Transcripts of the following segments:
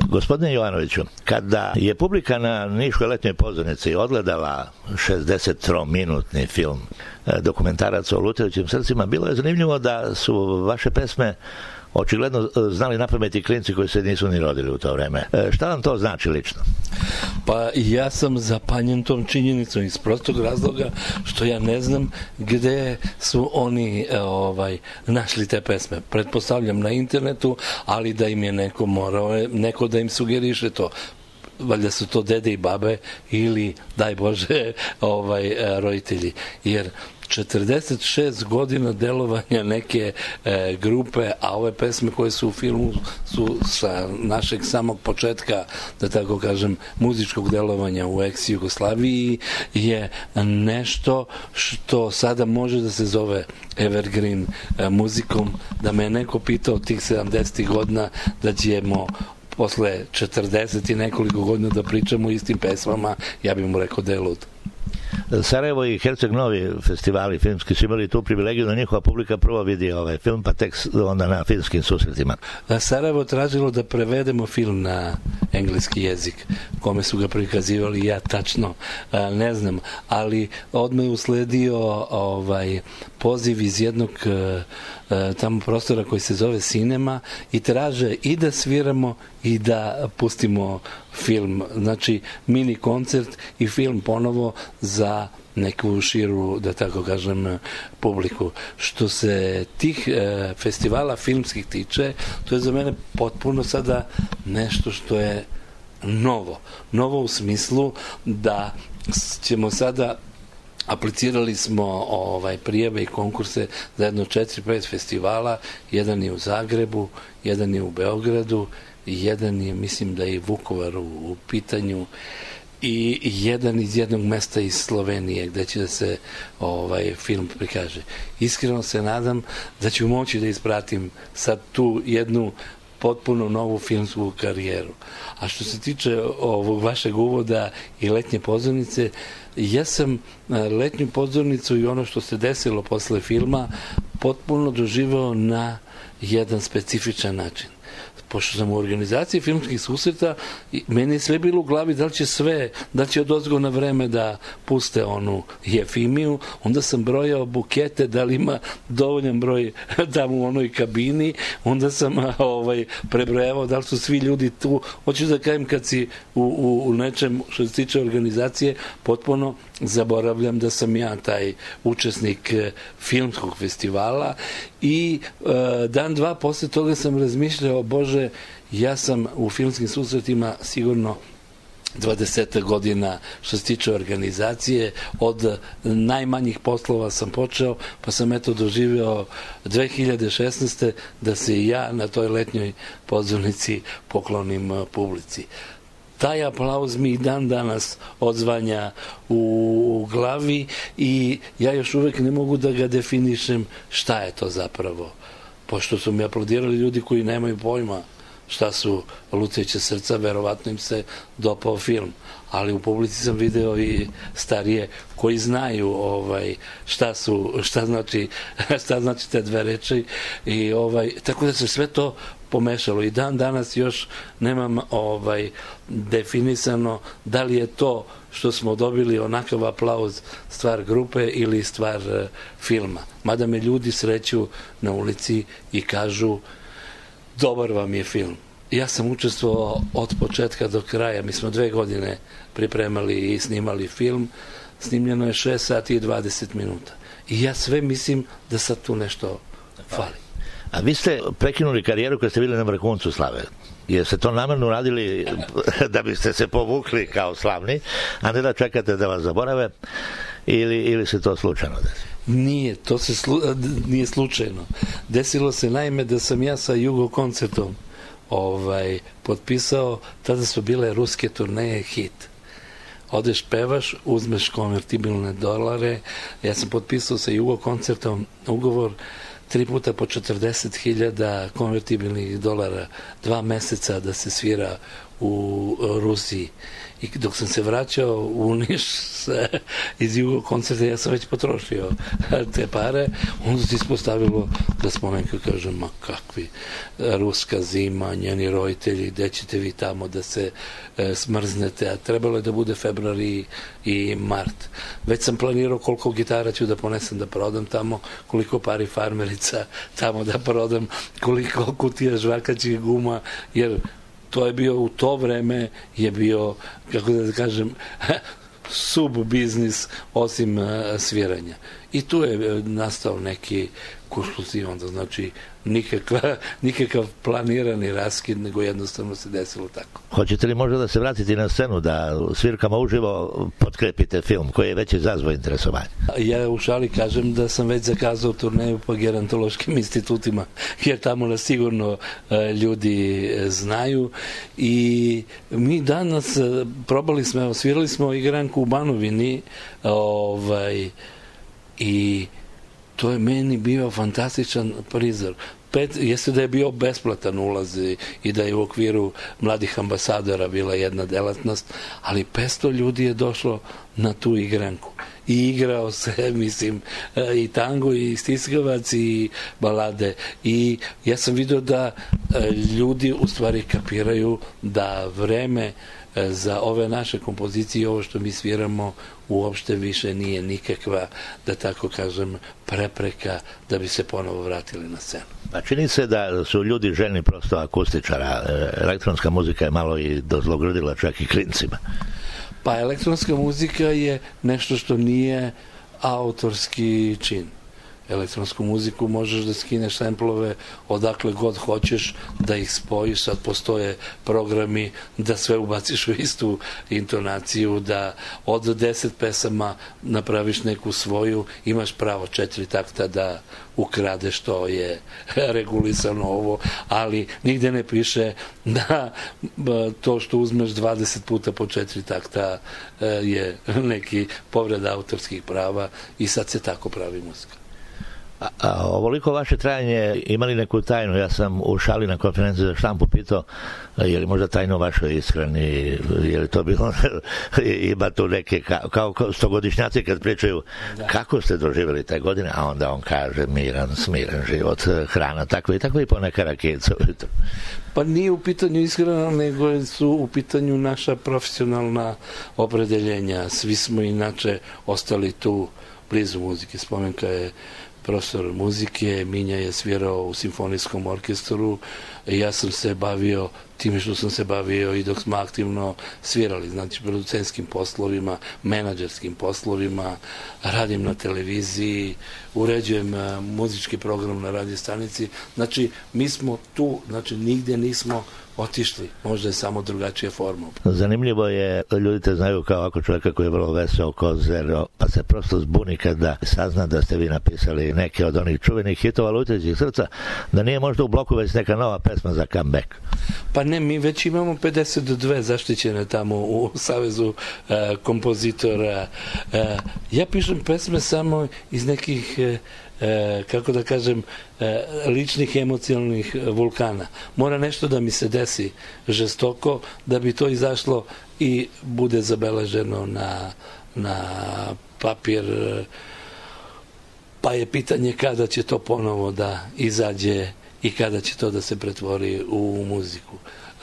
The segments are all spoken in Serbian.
Gospodine Jovanoviću, kada je publika na Niškoj letnjoj pozornici odgledala 63-minutni film dokumentarac o lutajućim srcima, bilo je zanimljivo da su vaše pesme očigledno znali napamet i klinci koji se nisu ni rodili u to vreme. Šta vam to znači lično? Pa ja sam zapanjen tom činjenicom iz prostog razloga što ja ne znam gde su oni našli te pesme. Pretpostavljam na internetu, ali da im je neko da im sugeriše to. Valjda su to dede i babe ili, daj Bože, roditelji. Jer 46 godina delovanja neke grupe, a ove pesme koje su u filmu su sa našeg samog početka, da tako kažem, muzičkog delovanja u ex-Jugoslaviji, je nešto što sada može da se zove evergreen muzikom. Da me neko pitao tih 70. godina da ćemo posle 40 i nekoliko godina da pričamo o istim pesmama, ja bih mu rekao da je lud. Sarajevo i Herceg Novi festivali filmski su imali tu privilegiju da njihova publika prvo vidi ovaj film, pa tek onda na filmskim susretima. Sarajevo tražilo da prevedemo film na engleski jezik, kome su ga prikazivali, ja tačno ne znam, ali odmah je usledio poziv iz jednog tamo prostora koji se zove Cinema i traže i da sviramo i da pustimo film, znači mini koncert i film ponovo za neku širu, da tako kažem, publiku. Što se tih festivala filmskih tiče, to je za mene potpuno sada nešto što je novo u smislu da ćemo sada, aplicirali smo prijave i konkurse za jedno 4-5 festivala, jedan je u Zagrebu, jedan je u Beogradu, jedan je, mislim da je i Vukovar u pitanju, i jedan iz jednog mesta iz Slovenije gde će da se film prikaže. Iskreno se nadam da ću moći da ispratim sad tu jednu potpuno novu filmsku karijeru. A što se tiče ovog vašeg uvoda i letnje pozornice, ja sam letnju pozornicu i ono što se desilo posle filma potpuno doživao na jedan specifičan način. Pošto sam u organizaciji filmskih susreta, meni je sve bilo u glavi da li će odozgo na vreme da puste onu Jefimiju, onda sam brojao bukete, da li ima dovoljan broj tamo u onoj kabini, onda sam prebrojavao da li su svi ljudi tu. Hoću da kažem, kad si u nečem što se tiče organizacije, potpuno zaboravljam da sam ja taj učesnik filmskog festivala i dan, dva posle toga sam razmišljao, Bože, ja sam u filmskim susretima sigurno 20 godina što se tiče organizacije, od najmanjih poslova sam počeo, pa sam doživeo 2016. da se i ja na toj letnjoj pozornici poklonim publici. Taj aplauz mi i dan danas odzvanja u glavi i ja još uvek ne mogu da ga definišem šta je to zapravo. Pošto su mi aplaudirali ljudi koji nemaju pojma šta su lutajuća srca, verovatno im se dopao film. Ali u publici sam video i starije koji znaju šta znači te dve reči i tako da se sve to pomešalo i dan danas još nemam definisano da li je to što smo dobili onakav aplauz stvar grupe ili stvar filma. Mada me ljudi sreću na ulici i kažu dobar vam je film. Ja sam učestvovao od početka do kraja. Mi smo 2 godine pripremali i snimali film. Snimljeno je 6 sati i 20 minuta. I ja sve mislim da sad tu nešto fali. A vi ste prekinuli karijeru kad ste bili na vrhuncu slave. Jeste to namerno radili da biste se povukli kao slavni, a ne da čekate da vas zaborave, ili se to slučajno desi? Nije, to se nije slučajno. Desilo se naime da sam ja sa Jugo koncertom potpisao, tada su bile ruske turneje Hit. Odeš, pevaš, uzmeš konvertibilne dolare. Ja sam potpisao sa Jugo koncertom ugovor 3 puta po 40.000 konvertibilnih dolara, 2 meseca da se svira u Rusiji. I dok sam se vraćao u Niš iz Jugo koncerta, ja sam već potrošio te pare, onda se ispostavilo da smo neko kažem, ma kakvi, ruska zima, njeni roditelji, gde ćete vi tamo da se smrznete, a trebalo je da bude februar i mart. Već sam planirao koliko gitara ću da ponesem da prodam tamo, koliko pari farmerica tamo da prodam, koliko kutija žvakaćih guma, jer to je bio, u to vreme je bio, kako da kažem, sub-biznis osim sviranja. I tu je nastao neki kuršlus i onda, znači, nikakav planirani raskid, nego jednostavno se desilo tako. Hoćete li možda da se vratiti na scenu, da svirkama uživo potkrepite film koji je već izazvao interesovanje? Ja u šali kažem da sam već zakazao turneju po gerontološkim institutima, jer tamo nas sigurno ljudi znaju i mi danas probali smo, svirali smo igranku u Banovini i to je meni bio fantastičan prizor. Jeste da je bio besplatan ulaz i da je u okviru mladih ambasadora bila jedna delatnost, ali 500 ljudi je došlo na tu igranku i igrao se, mislim, i tango i stiskavac i balade i ja sam vidio da ljudi u stvari kapiraju da vreme za ove naše kompozicije i ovo što mi sviramo uopšte više nije nikakva, da tako kažem, prepreka da bi se ponovo vratili na scenu. Pa čini se da su ljudi željni prosto akustičara. Elektronska muzika je malo i dozlogrdila čak i klincima. Pa elektronska muzika je nešto što nije autorski čin. Elektronsku muziku možeš da skineš samplove odakle god hoćeš, da ih spojiš, sad postoje programi da sve ubaciš u istu intonaciju, da od 10 pesama napraviš neku svoju, imaš pravo 4 takta da ukradeš, to je regulisano ovo, ali nigde ne piše da to što uzmeš 20 puta po 4 takta je neki povreda autorskih prava i sad se tako pravi muzika. A ovoliko vaše trajanje imali neku tajnu? Ja sam u šali na konferenciji za štampu pitao je li možda tajno vašoj ishrani, je li to bilo ima tu neke kao stogodišnjaci kad pričaju kako ste doživjeli te godine, a onda on kaže miran, smiren život, hrana, tako i poneka rakica. Pa nije u pitanju ishrana, nego su u pitanju naša profesionalna opredeljenja. Svi smo inače ostali tu blizu muzike. Spomenka je profesor muzike, Minja je svirao u simfonijskom orkestru, ja sam se bavio time što sam se bavio i dok smo aktivno svirali, znači producentskim poslovima, menadžerskim poslovima, radim na televiziji, uređujem muzički program na radio stanici, znači mi smo tu, znači nigdje nismo otišli, možda je samo drugačija forma. Zanimljivo je, ljudi te znaju kao ako čovjeka koji je vrlo veseo ko zero, pa se prosto zbuni kada sazna da ste vi napisali neke od onih čuvenih hitova Lutećih srca, da nije možda u bloku već neka nova pesma za comeback. Pa ne, mi već imamo 52 zaštićene tamo u Savezu kompozitora. Ja pišem pesme samo iz nekih kako da kažem, ličnih emocionalnih vulkana. Mora nešto da mi se desi žestoko da bi to izašlo i bude zabeleženo na papir, pa je pitanje kada će to ponovo da izađe i kada će to da se pretvori u muziku.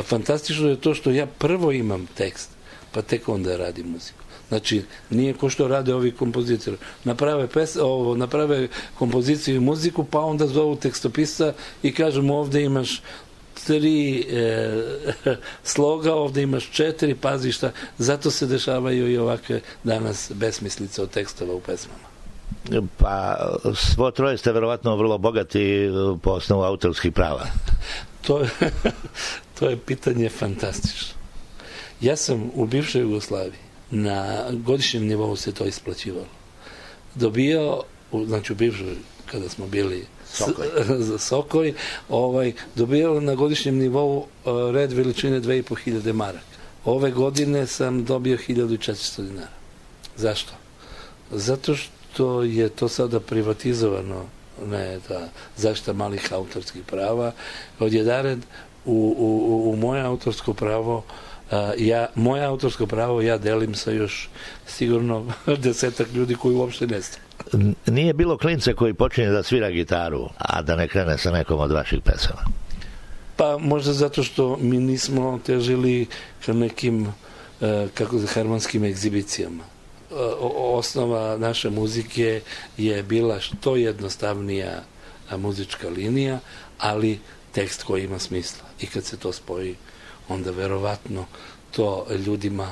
Fantastično je to što ja prvo imam tekst, pa tek onda radim muziku. Znači, nije ko što rade ovi kompozitori. Naprave kompoziciju i muziku, pa onda zovu tekstopisca i kažem ovde imaš 3 sloga, ovde imaš 4, pazi šta. Zato se dešavaju i ovakve danas besmislice od tekstova u pesmama. Pa svo troje ste verovatno vrlo bogati po osnovu autorskih prava. To je pitanje fantastično. Ja sam u bivšoj Jugoslaviji, na godišnjem nivou se to isplaćivalo. Dobijao, znači u bivšoj, kada smo bili Sokoj, dobijao na godišnjem nivou red veličine 2500 maraka. Ove godine sam dobio 1400 dinara. Zašto? Zato što je to sada privatizovano, ne ta zaštita malih autorskih prava. Odjedared u moje autorsko pravo moje autorsko pravo ja delim sa još sigurno 10 ljudi koji uopšte ne znaju. Nije bilo klinca koji počinje da svira gitaru, a da ne krene sa nekom od vaših pesama? Pa možda zato što mi nismo težili ka nekim hermanskim egzibicijama. Osnova naše muzike je bila što jednostavnija muzička linija, ali tekst koji ima smisla. I kad se to spoji, onda verovatno to ljudima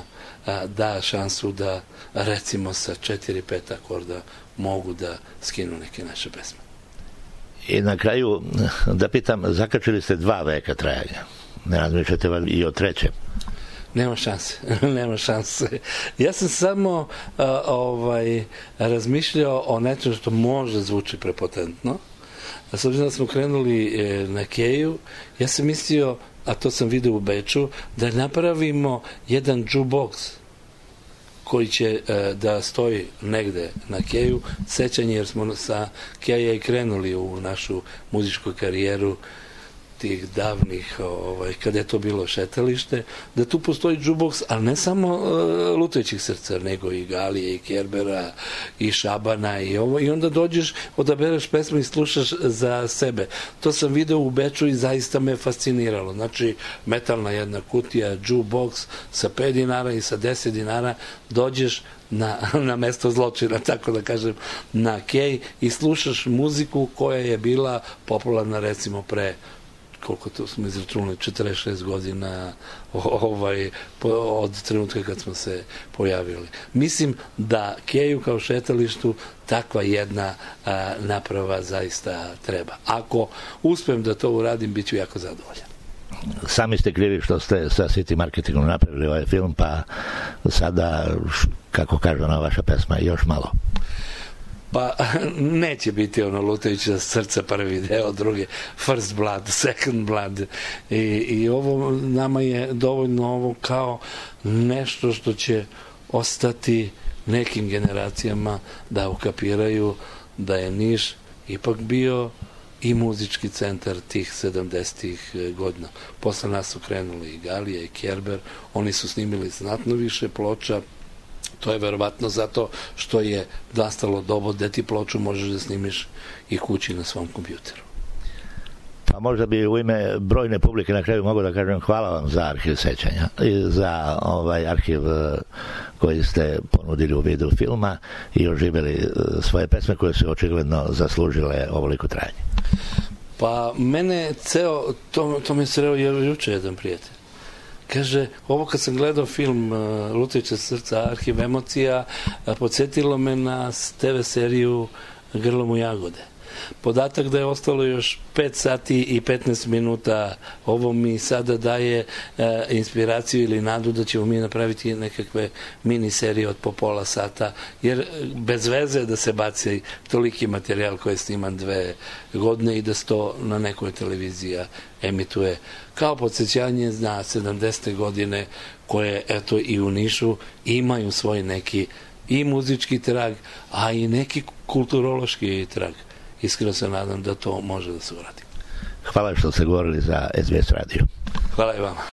da šansu da recimo sa 4-5 akorda mogu da skinu neke naše pesme. I na kraju da pitam, zakačili ste 2 veka trajanja. Ne razmišljate i o 3? Nema šanse. Ja sam samo razmišljao o nečem što može zvuči prepotentno. A s obzirom da smo krenuli na Keju, ja sam mislio, a to sam vidio u Beču, da napravimo jedan jukebox koji će da stoji negde na Keju, sećanje jer smo sa Keja i krenuli u našu muzičku karijeru tih davnih, kada je to bilo šetalište, da tu postoji jukebox, ali ne samo Lutajućih srca, nego i Galije, i Kerbera, i Šabana, i onda dođeš, odabereš pesmu i slušaš za sebe. To sam video u Beču i zaista me fasciniralo. Znači, metalna jedna kutija, jukebox sa 5 dinara i sa 10 dinara, dođeš na mesto zločina, tako da kažem, na Kej i slušaš muziku koja je bila popularna recimo pre koliko to smo izračunali, 46 godina od trenutka kad smo se pojavili. Mislim da Keju kao šetalištu takva jedna naprava zaista treba. Ako uspem da to uradim, bit ću jako zadovoljan. Sami ste krivi što ste sa City Marketingom napravili ovaj film, pa sada, kako kaže ona vaša pesma, još malo. Pa neće biti ono Lutajuća srca prvi deo, drugi First Blood, Second Blood i ovo nama je dovoljno ovo kao nešto što će ostati nekim generacijama da ukapiraju da je Niš ipak bio i muzički centar tih 70-ih godina. Posle nas su krenuli i Galija i Kerber, oni su snimili znatno više ploča. To je verovatno zato što je nastalo doba da ti ploču možeš da snimiš i kući na svom kompjuteru. Pa možda bi u ime brojne publike na kraju mogu da kažem hvala vam za arhiv sećanja i za arhiv koji ste ponudili u vidu filma i oživjeli svoje pesme koje su očigledno zaslužile ovoliko trajanje. Pa mene to mi je sreo juče jedan prijatelj. Kaže, ovo kad sam gledao film Lutajuća srca, arhiv emocija, podsjetilo me na TV seriju Grlom u jagode. Podatak da je ostalo još 5 sati i 15 minuta, ovo mi sada daje inspiraciju ili nadu da ćemo mi napraviti nekakve mini serije od po pola sata, jer bez veze da se baci toliki materijal koji je sniman 2 godine i da se to na nekoj televiziji emituje kao podsjećanje na 70. godine koje eto i u Nišu imaju svoj neki i muzički trag, a i neki kulturološki trag. Iskreno se nadam da to može da se uradi. Hvala što ste govorili za SBS radio. Hvala i vama.